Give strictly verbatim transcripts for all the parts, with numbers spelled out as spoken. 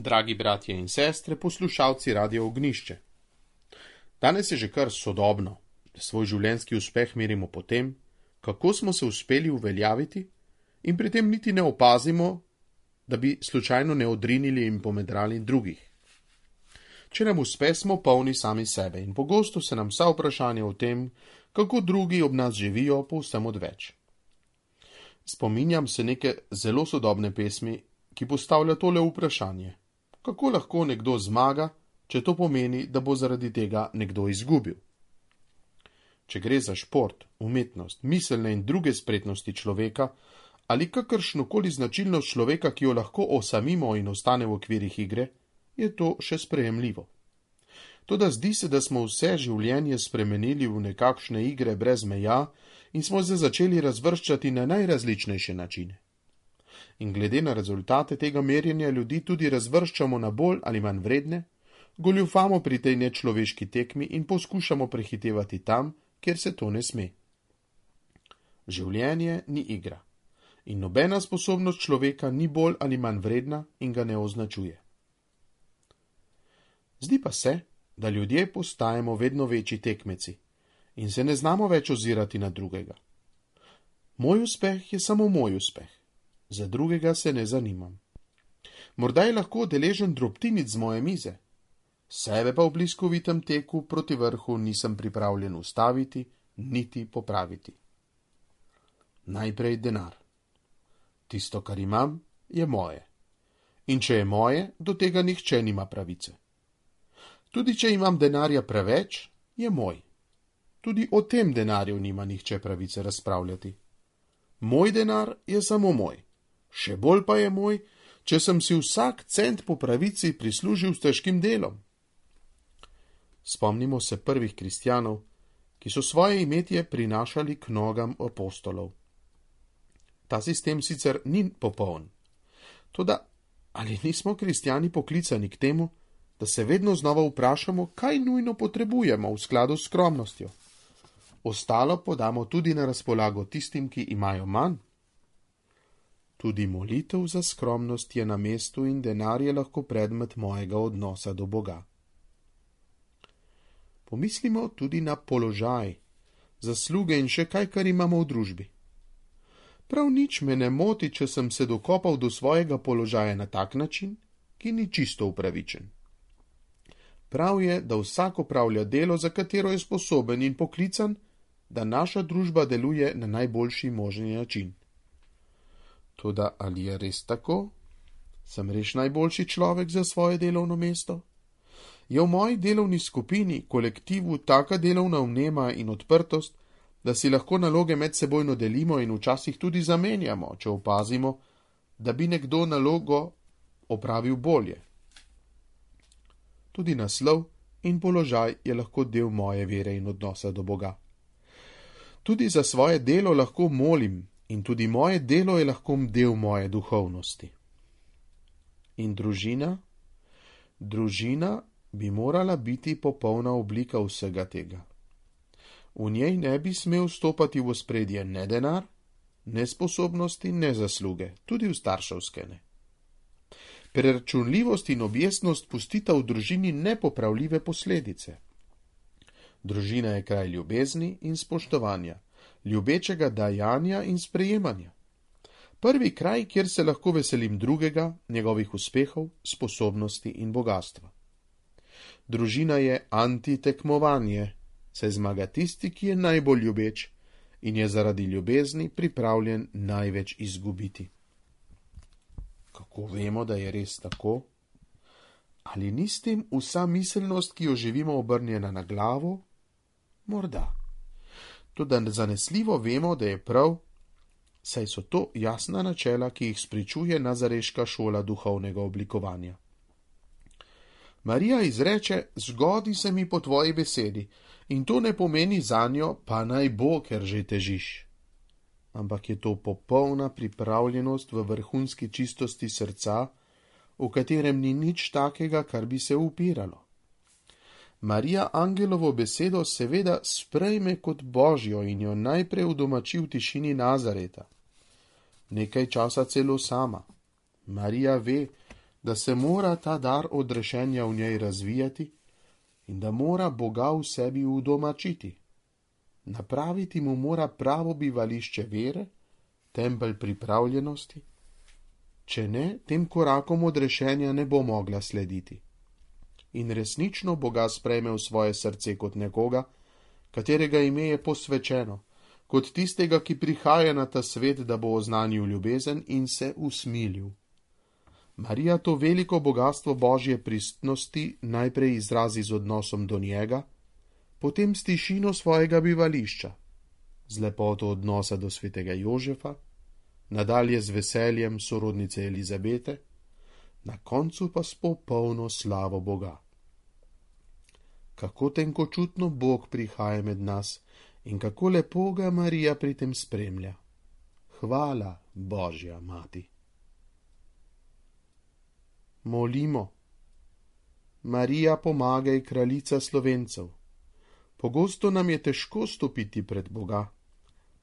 Dragi bratje in sestre, poslušalci Radia Ognjišče. Danes je že kar sodobno, da svoj življenjski uspeh merimo po tem, kako smo se uspeli uveljaviti in pri tem niti ne opazimo, da bi slučajno ne odrinili in pomedrali drugih. Če nam uspe, smo polni sami sebe in pogosto se nam vsa vprašanja o tem, kako drugi ob nas živijo, povsem odveč. Spominjam se neke zelo sodobne pesmi, ki postavlja tole vprašanje. Kako lahko nekdo zmaga, če to pomeni, da bo zaradi tega nekdo izgubil? Če gre za šport, umetnost, miselne in druge spretnosti človeka ali kakršnokoli značilnost človeka, ki jo lahko osamimo in ostane v okvirih igre, je to še sprejemljivo. Toda zdi se, da smo vse življenje spremenili v nekakšne igre brez meja in smo se začeli razvrščati na najrazličnejše načine. In glede na rezultate tega merjenja ljudi tudi razvrščamo na bolj ali manj vredne, goljufamo pri tej nečloveški tekmi in poskušamo prehitevati tam, kjer se to ne sme. Življenje ni igra in nobena sposobnost človeka ni bolj ali manj vredna in ga ne označuje. Zdi pa se, da ljudje postajamo vedno večji tekmeci in se ne znamo več ozirati na drugega. Moj uspeh je samo moj uspeh. Za drugega se ne zanimam. Morda je lahko deležen drobtinic z moje mize, sebe pa v bliskovitem teku proti vrhu nisem pripravljen ustaviti, niti popraviti. Najprej denar. Tisto, kar imam, je moje. In če je moje, do tega nihče nima pravice. Tudi če imam denarja preveč, je moj. Tudi o tem denarju nima nihče pravice razpravljati. Moj denar je samo moj. Še bolj pa je moj, če sem si vsak cent po pravici prislužil s težkim delom. Spomnimo se prvih kristjanov, ki so svoje imetje prinašali k nogam apostolov. Ta sistem sicer ni popoln, toda ali nismo kristjani poklicani k temu, da se vedno znova vprašamo, kaj nujno potrebujemo v skladu s skromnostjo. Ostalo podamo tudi na razpolago tistim, ki imajo manj. Tudi molitev za skromnost je na mestu in denar je lahko predmet mojega odnosa do Boga. Pomislimo tudi na položaj, zasluge in še kaj, kar imamo v družbi. Prav nič me ne moti, če sem se dokopal do svojega položaja na tak način, ki ni čisto upravičen. Prav je, da vsak opravlja delo, za katero je sposoben in poklican, da naša družba deluje na najboljši možni način. Toda ali je res tako? Sem res najboljši človek za svoje delovno mesto? Je v moji delovni skupini, kolektivu, taka delovna vnema in odprtost, da si lahko naloge medsebojno delimo in včasih tudi zamenjamo, če opazimo, da bi nekdo nalogo opravil bolje. Tudi naslov in položaj je lahko del moje vere in odnosa do Boga. Tudi za svoje delo lahko molim, in tudi moje delo je lahko del moje duhovnosti. In družina? Družina bi morala biti popolna oblika vsega tega. V njej ne bi smel vstopati v ospredje ne denar, ne sposobnosti, ne zasluge, tudi v starševske ne. Preračunljivost in objestnost pustita v družini nepopravljive posledice. Družina je kraj ljubezni in spoštovanja, ljubečega dajanja in sprejemanja. Prvi kraj, kjer se lahko veselim drugega, njegovih uspehov, sposobnosti in bogastva. Družina je antitekmovanje, saj zmaga tisti, ki je najbolj ljubeč in je zaradi ljubezni pripravljen največ izgubiti. Kako vemo, da je res tako? Ali ni s tem vsa miselnost, ki jo živimo, obrnjena na glavo? Morda. Toda zanesljivo vemo, da je prav, saj so to jasna načela, ki jih spričuje nazareška šola duhovnega oblikovanja. Marija izreče, zgodi se mi po tvoji besedi, in to ne pomeni zanjo, pa naj bo, ker že težiš. Ampak je to popolna pripravljenost v vrhunski čistosti srca, v katerem ni nič takega, kar bi se upiralo. Marija angelovo besedo seveda sprejme kot božjo in jo najprej udomači v tišini Nazareta. Nekaj časa celo sama. Marija ve, da se mora ta dar odrešenja v njej razvijati in da mora Boga v sebi udomačiti. Napraviti mu mora pravo bivališče vere, tempelj pripravljenosti. Če ne, tem korakom odrešenja ne bo mogla slediti. In resnično Boga sprejme v svoje srce kot nekoga, katerega ime je posvečeno, kot tistega, ki prihaja na ta svet, da bo oznanil ljubezen in se usmilil. Marija to veliko bogatstvo Božje pristnosti najprej izrazi z odnosom do njega, potem s tišino svojega bivališča, z lepoto odnosa do svetega Jožefa, nadalje z veseljem sorodnice Elizabete, na koncu pa s popolno slavo Boga. Kako tenkočutno Bog prihaja med nas in kako lepo ga Marija pri tem spremlja. Hvala, Božja mati. Molimo. Marija, pomagaj, kraljica Slovencev. Pogosto nam je težko stopiti pred Boga.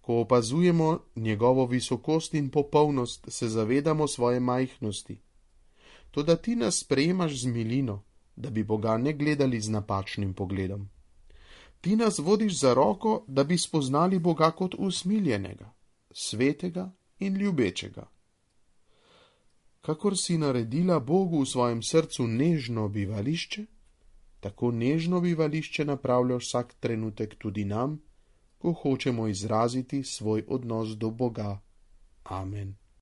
Ko opazujemo njegovo visokost in popolnost, se zavedamo svoje majhnosti. Toda ti nas sprejemaš z milino, da bi Boga ne gledali z napačnim pogledom. Ti nas vodiš za roko, da bi spoznali Boga kot usmiljenega, svetega in ljubečega. Kakor si naredila Bogu v svojem srcu nežno bivališče, tako nežno bivališče napravljaš vsak trenutek tudi nam, ko hočemo izraziti svoj odnos do Boga. Amen.